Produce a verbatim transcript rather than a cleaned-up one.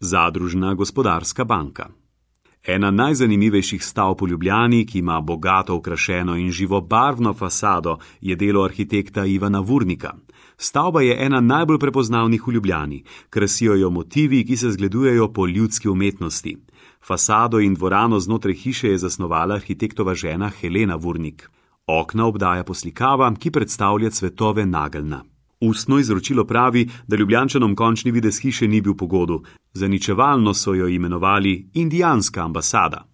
Zadružna gospodarska banka. Ena najzanimivejših stavb v Ljubljani, ki ima bogato okrašeno in živobarvno fasado, je delo arhitekta Ivana Vurnika. Stavba je ena najbolj prepoznavnih v Ljubljani, krasijo jo motivi, ki se zgledujejo po ljudski umetnosti. Fasado in dvorano znotraj hiše je zasnovala arhitektova žena Helena Vurnik. Okna obdaja poslikava, ki predstavlja cvetove nageljna. Ustno izročilo pravi, da Ljubljančanom končni videz hiše ni bil po godu. Zaničevalno so jo imenovali indijanska ambasada.